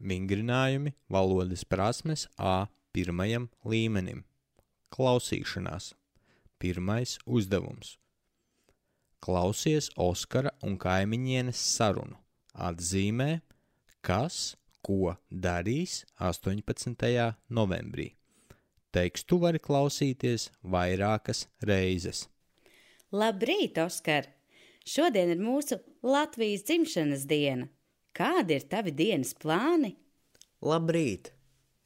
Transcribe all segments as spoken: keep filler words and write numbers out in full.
Vingrinājumi valodas prasmes A pirmajam līmenim. Klausīšanās. Pirmais uzdevums. Klausies Oskara un kaimiņienes sarunu. Atzīmē, kas, ko darīs astoņpadsmitajā novembrī. Tekstu vari klausīties vairākas reizes. Labrīt, Oskar! Šodien ir mūsu Latvijas dzimšanas diena. Kādi ir tavi dienas plāni? Labrīt!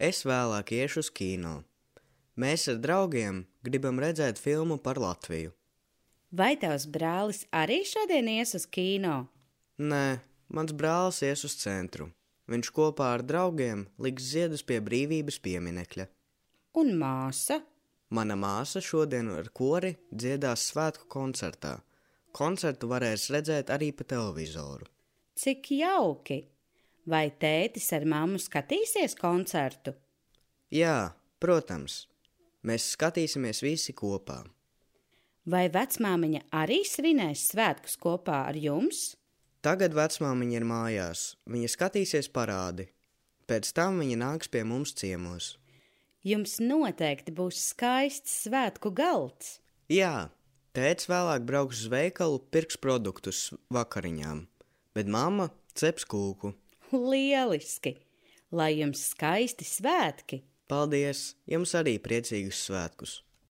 Es vēlāk iešu uz kino. Mēs ar draugiem gribam redzēt filmu par Latviju. Vai tavs brālis arī šodien ies uz kino? Nē, mans brālis ies uz centru. Viņš kopā ar draugiem liks ziedus pie brīvības pieminekļa. Un māsa? Mana māsa šodien ar kori dziedās svētku koncertā. Koncertu varēs redzēt arī pa televizoru. Cik jauki! Vai tētis ar mammu skatīsies koncertu? Jā, protams. Mēs skatīsimies visi kopā. Vai vecmāmiņa arī svinēs svētkus kopā ar jums? Tagad vecmāmiņa ir mājās. Viņa skatīsies parādi. Pēc tam viņa nāks pie mums ciemos. Jums noteikti būs skaists svētku galds. Jā, tētis vēlāk brauks uz veikalu, pirks produktus vakariņām, bet mamma ceps kūku. Lieliski! Lai jums skaisti svētki! Paldies! Jums arī priecīgus svētkus!